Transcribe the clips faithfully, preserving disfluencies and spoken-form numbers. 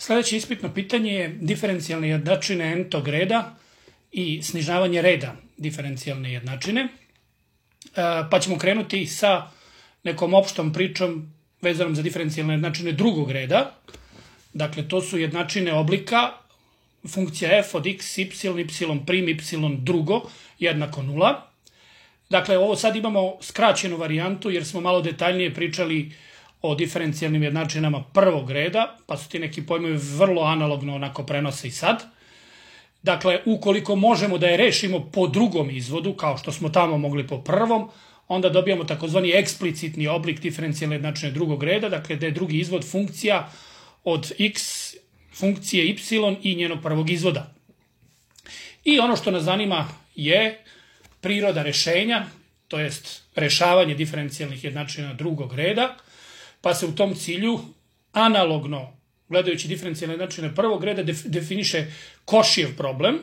Sljedeće ispitno pitanje je diferencijalne jednačine n-tog reda i snižavanje reda diferencijalne jednačine. Pa ćemo krenuti sa nekom opštom pričom vezanom za diferencijalne jednačine drugog reda. Dakle, to su jednačine oblika funkcija f od x, y, y prim, y drugo jednako nula. Dakle, ovo sad imamo skraćenu varijantu jer smo malo detaljnije pričali o diferencijalnim jednačinama prvog reda, pa su ti neki pojmovi vrlo analogno onako prenose i sad. Dakle, ukoliko možemo da je rešimo po drugom izvodu, kao što smo tamo mogli po prvom, onda dobijamo takozvani eksplicitni oblik diferencijalne jednačine drugog reda, dakle da je drugi izvod funkcija od x, funkcije y i njenog prvog izvoda. I ono što nas zanima je priroda rešenja, to jest rešavanje diferencijalnih jednačina drugog reda, pa se u tom cilju analogno, gledajući diferencijalne jednačine prvog reda, definiše Košijev problem.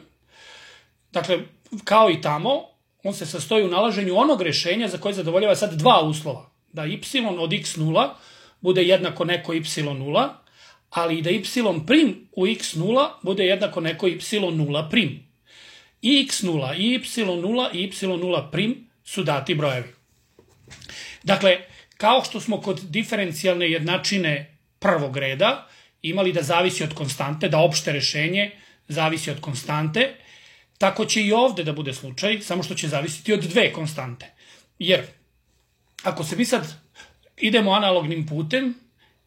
Dakle, kao i tamo, on se sastoji u nalaženju onog rešenja za koje zadovoljava sad dva uslova. Da y od x nula bude jednako neko y nula, ali i da y prim u x nula bude jednako neko y nula prim. I x nula, i y nula, i y nula prim su dati brojevi. Dakle, kao što smo kod diferencijalne jednačine prvog reda imali da zavisi od konstante, da opšte rešenje zavisi od konstante, tako će i ovde da bude slučaj, samo što će zavisiti od dve konstante. Jer, ako se mi sad idemo analognim putem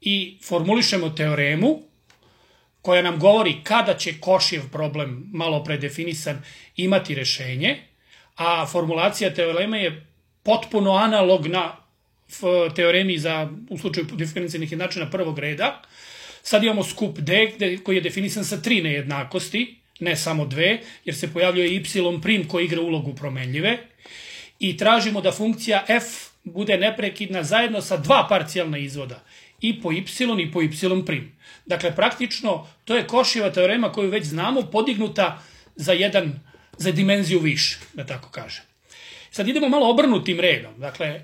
i formulišemo teoremu koja nam govori kada će Košijev problem, malo predefinisan, imati rešenje, a formulacija teoreme je potpuno analogna teoremi za, u slučaju diferencijalnih jednačina prvog reda. Sad imamo skup D koji je definisan sa tri nejednakosti, ne samo dve, jer se pojavljuje y prim koji igra ulogu promenljive i tražimo da funkcija f bude neprekidna zajedno sa dva parcijalna izvoda, i po y i po y prim. Dakle, praktično, to je Košijeva teorema koju već znamo, podignuta za jedan, za dimenziju više, da tako kažem. Sad idemo malo obrnutim redom. Dakle,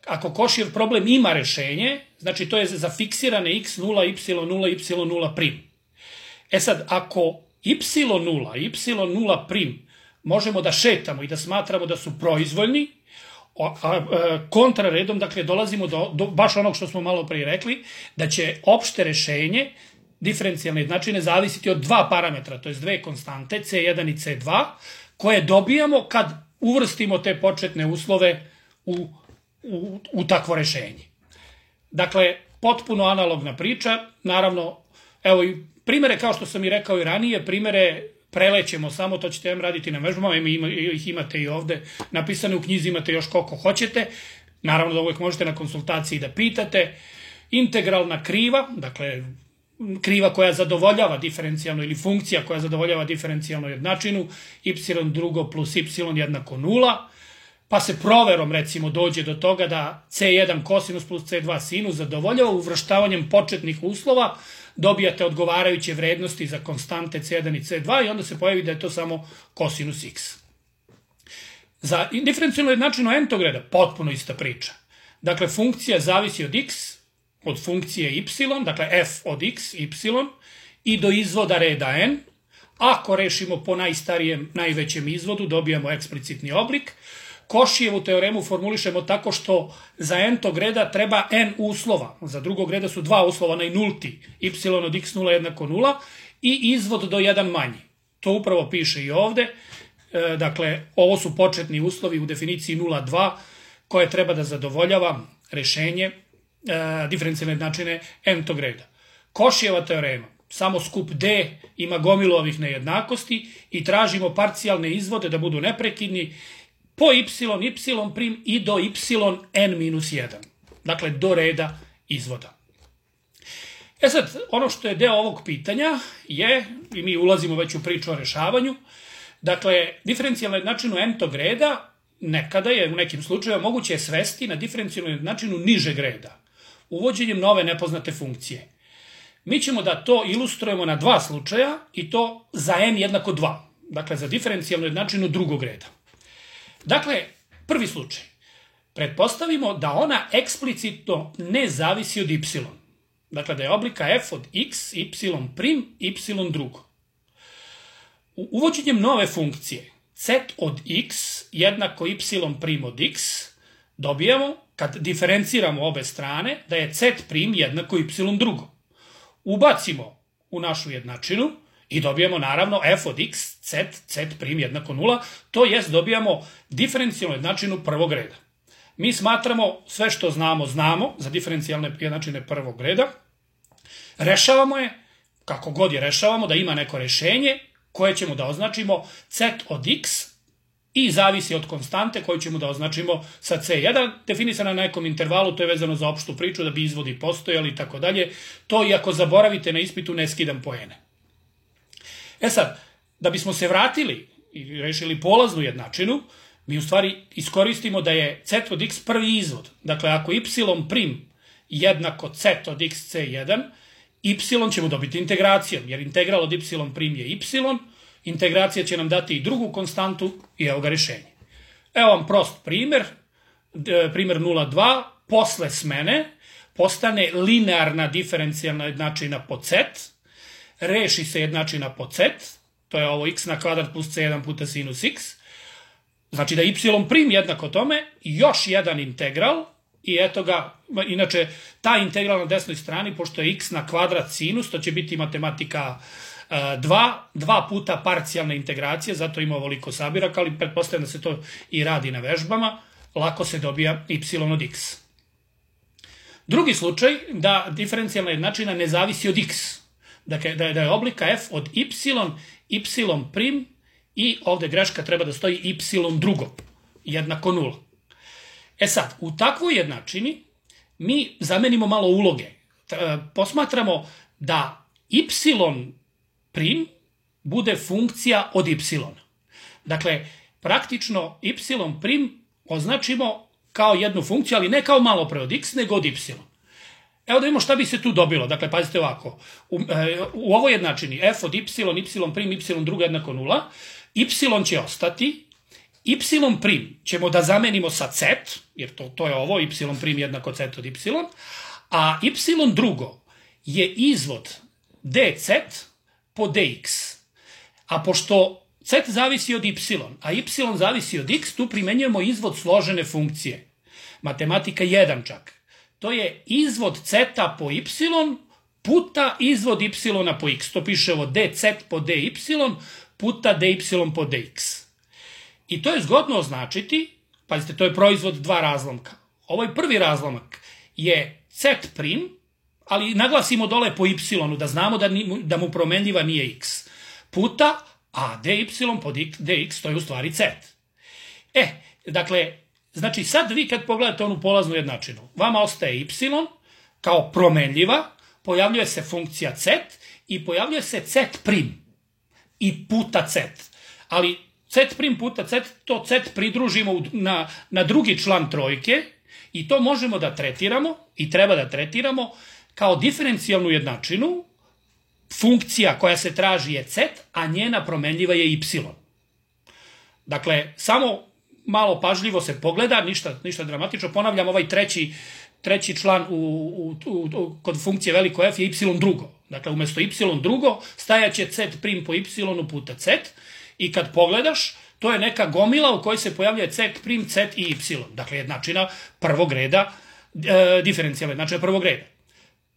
ako Košijev problem ima rešenje, znači to je za fiksirane x nula, y nula, y nula prim. E sad, ako y nula, y nula prim možemo da šetamo i da smatramo da su proizvoljni, kontraredom, dakle, dolazimo do, do baš onog što smo malo prije rekli, da će opšte rešenje diferencijalne jednačine zavisiti od dva parametra, to je dve konstante, c jedan i c dva, koje dobijamo kad uvrstimo te početne uslove u, u, u takvo rešenje. Dakle, potpuno analogna priča, naravno, evo i primere, kao što sam i rekao i ranije, primere prelećemo samo, to ćete vam raditi na vežbama, ih imate i ovde napisane u knjizi, imate još koliko hoćete, naravno da uvek možete na konsultaciji da pitate. Integralna kriva, dakle kriva koja zadovoljava diferencijalno ili funkcija koja zadovoljava diferencijalnu jednačinu, y drugo plus y jednako nula, pa se proverom recimo dođe do toga da c jedan kosinus plus c dva sinus zadovoljava uvrštavanjem početnih uslova, dobijate odgovarajuće vrednosti za konstante c jedan i c dva i onda se pojavi da je to samo kosinus x. Za diferencijalnu jednačinu n-tog reda potpuno ista priča. Dakle, funkcija zavisi od x, od funkcije y, dakle f od x, y, i do izvoda reda n. Ako rešimo po najstarijem, najvećem izvodu, dobijamo eksplicitni oblik. Košijevu teoremu formulišemo tako što za n-tog reda treba n uslova. Za drugog reda su dva uslova, onaj nulti, y od x nula jednako nula i izvod do jedan manji. To upravo piše i ovde. E, dakle, ovo su početni uslovi u definiciji nula dva koje treba da zadovoljava rešenje e, diferencijalne jednačine n-tog reda. Košijeva teorema, samo skup D ima gomilu ovih nejednakosti i tražimo parcijalne izvode da budu neprekidni po y, y prim i do y n minus jedan. Dakle, do reda izvoda. E sad, ono što je deo ovog pitanja je, i mi ulazimo već u priču o rešavanju, dakle, diferencijalnu jednačinu n-tog reda nekada je u nekim slučajevima moguće je svesti na diferencijalnu jednačinu nižeg reda, uvođenjem nove nepoznate funkcije. Mi ćemo da to ilustrujemo na dva slučaja i to za n jednako dva, dakle, za diferencijalnu jednačinu drugog reda. Dakle, prvi slučaj. Pretpostavimo da ona eksplicitno ne zavisi od y. Dakle, da je oblika f od x, y prim, y drugo. Uvođenjem nove funkcije z od x jednako y prim od x, dobijamo, kad diferenciramo obe strane, da je z prim jednako y drugo. Ubacimo u našu jednačinu i dobijamo naravno f od x, z, z prim jednako nula, to jest dobijamo diferencijalnu jednačinu prvog reda. Mi smatramo sve što znamo, znamo za diferencijalne jednačine prvog reda, rešavamo je, kako god je rešavamo, da ima neko rešenje koje ćemo da označimo z od x i zavisi od konstante koju ćemo da označimo sa c jedan, definisana na nekom intervalu, to je vezano za opštu priču, da bi izvodi postojali i tako dalje. To i ako zaboravite na ispitu ne skidam poene. E sad, da bismo se vratili i rešili polaznu jednačinu, mi u stvari iskoristimo da je z od x prvi izvod. Dakle, ako y prim jednako z od x c jedan, y ćemo dobiti integracijom, jer integral od y prim je y, integracija će nam dati i drugu konstantu i evo ga rešenje. Evo vam prost primer, primer nula dva, posle smene postane linearna diferencijalna jednačina po z, reši se jednačina po z, to je ovo x na kvadrat plus c jedan puta sinus x, znači da y prim jednako tome, još jedan integral, i eto ga, inače, ta integral na desnoj strani, pošto je x na kvadrat sinus, to će biti matematika dva, dva puta parcijalna integracija, zato ima ovoliko sabiraka, ali pretpostavljam da se to i radi na vežbama, lako se dobija y od x. Drugi slučaj, da diferencijalna jednačina ne zavisi od x, dakle, da je, da je oblika f od y, y prim, i ovde greška treba da stoji y drugo, jednako nula. E sad, u takvoj jednačini mi zamenimo malo uloge. Posmatramo da y prim bude funkcija od y. Dakle, praktično y prim označimo kao jednu funkciju, ali ne kao malo pre od x, nego od y. Evo da vidimo šta bi se tu dobilo. Dakle, pazite ovako. U, u ovoj jednačini f od y, y prim, y drugo jednako nula, y će ostati, y prim ćemo da zamenimo sa z, jer to, to je ovo, y prim jednako z od y, a y drugo je izvod dz po dx. A pošto z zavisi od y, a y zavisi od x, tu primenjujemo izvod složene funkcije. Matematika jedan čak. To je izvod z po y puta izvod y po x. To piše ovo dz po dy puta dy po dx. I to je zgodno označiti, pazite, to je proizvod dva razlomka. Ovaj prvi razlomak je z prim, ali naglasimo dole po y, da znamo da, ni, da mu promenljiva nije x, puta, a dy po dx, to je u stvari z. E, dakle, znači sad vi kad pogledate onu polaznu jednačinu, vama ostaje y kao promenljiva, pojavljuje se funkcija z i pojavljuje se z prim i puta z. Ali z prim puta z, to z pridružimo na, na drugi član trojke i to možemo da tretiramo i treba da tretiramo kao diferencijalnu jednačinu. Funkcija koja se traži je z, a njena promenljiva je y. Dakle, samo malo pažljivo se pogleda, ništa, ništa dramatično. Ponavljam, ovaj treći, treći član u, u, u, kod funkcije veliko f je y drugo. Dakle, umjesto y drugo stajaće z prim po y puta z i kad pogledaš, to je neka gomila u kojoj se pojavljuje z prim, z i y. Dakle, jednačina prvog reda, e, diferencijalna jednačina prvog reda.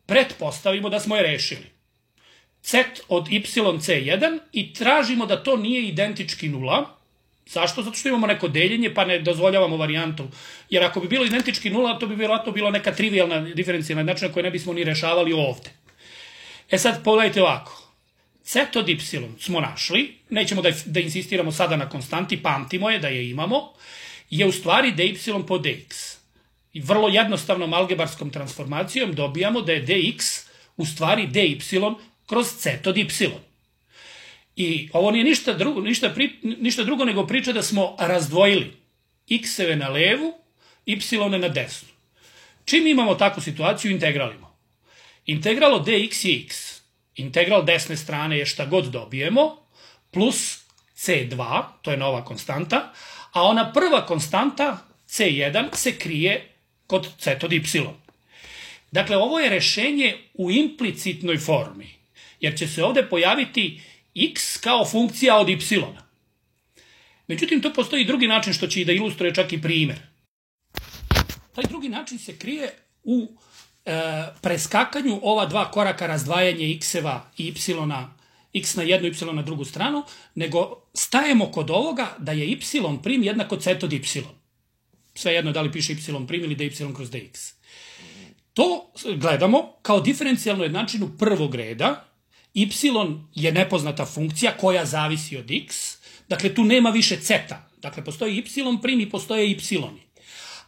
Pretpostavimo da smo je rešili. Z od y c jedan i tražimo da to nije identički nula. Zašto? Zato što imamo neko deljenje pa ne dozvoljavamo varijantu. Jer ako bi bilo identički nula, to bi vjerojatno bilo neka trivialna diferencijalna jednačina koju ne bismo ni rešavali ovde. E sad pogledajte ovako. Z od y smo našli, nećemo da, da insistiramo sada na konstanti, pamtimo je da je imamo, je u stvari dy po dx. I vrlo jednostavnom algebarskom transformacijom dobijamo da je dx u stvari dy kroz z od y. I ovo nije ništa drugo, ništa, pri, ništa drugo nego priča da smo razdvojili x-eve na levu, y-eve na desnu. Čim imamo takvu situaciju, integralimo. Integral od dx je x. Integral desne strane je šta god dobijemo, plus c dva, to je nova konstanta, a ona prva konstanta, c jedan, se krije kod z od y. Dakle, ovo je rešenje u implicitnoj formi, jer će se ovde pojaviti x kao funkcija od y. Međutim, to postoji i drugi način što će i da ilustruje čak i primjer. Taj drugi način se krije u e, preskakanju ova dva koraka razdvajanje x-eva i y-a, x na jednu, y na drugu stranu, nego stajemo kod ovoga da je y prim jednako c od y. Svejedno da li piše y prim ili dy kroz dx. To gledamo kao diferencijalnu jednačinu prvog reda. Y je nepoznata funkcija koja zavisi od x. Dakle, tu nema više ceta. Dakle, postoji y prim i postoje y.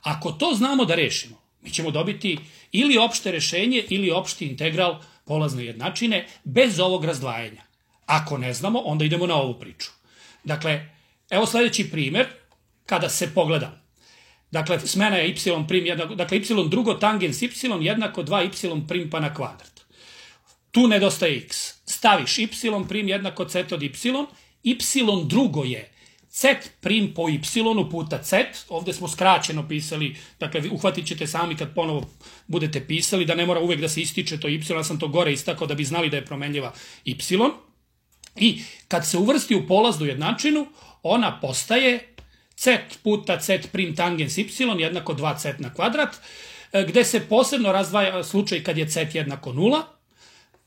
Ako to znamo da rešimo, mi ćemo dobiti ili opšte rešenje ili opšti integral polazne jednačine bez ovog razdvajanja. Ako ne znamo, onda idemo na ovu priču. Dakle, evo sledeći primjer, kada se pogleda. Dakle, smena je y prim jednako, dakle, y drugo tangens y jednako dva y prim pa na kvadrat. Tu nedostaje x. Staviš y prim jednako c od y, y drugo je c prim po y puta c, ovde smo skraćeno pisali, dakle, uhvatit ćete sami kad ponovo budete pisali, da ne mora uvek da se ističe to y, ja sam to gore istakao da bi znali da je promenljiva y. I kad se uvrsti u polaznu jednačinu, ona postaje c puta c prim tangens y jednako dva c na kvadrat, gde se posebno razdvaja slučaj kad je c jednako nula.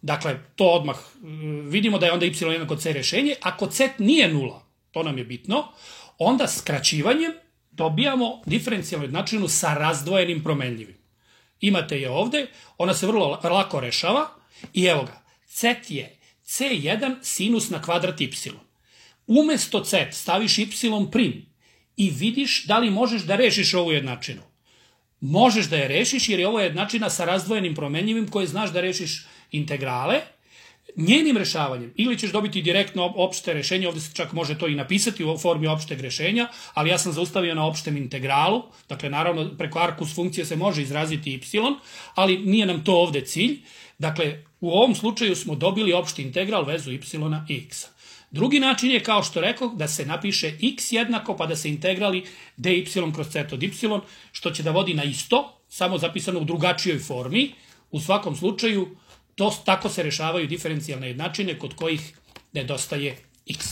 Dakle, to odmah vidimo da je onda y jednako c rešenje. Ako c nije nula, to nam je bitno, onda skraćivanjem dobijamo diferencijalnu jednačinu sa razdvojenim promenljivim. Imate je ovde, ona se vrlo lako rešava i evo ga, c je c jedan sinus na kvadrat y. Umesto c staviš y prim i vidiš da li možeš da rešiš ovu jednačinu. Možeš da je rešiš jer je ovo jednačina sa razdvojenim promenljivim koje znaš da rešiš integrale. Njenim rešavanjem ili ćeš dobiti direktno opšte rešenje, ovde se čak može to i napisati u formi opšteg rešenja, ali ja sam zaustavio na opštem integralu, dakle naravno preko arkus funkcije se može izraziti y, ali nije nam to ovde cilj. Dakle, u ovom slučaju smo dobili opšti integral vezu y i x. Drugi način je, kao što rekao, da se napiše x jednako pa da se integrali dy kroz c od y, što će da vodi na isto, samo zapisano u drugačijoj formi. U svakom slučaju, to, tako se rešavaju diferencijalne jednačine kod kojih nedostaje x.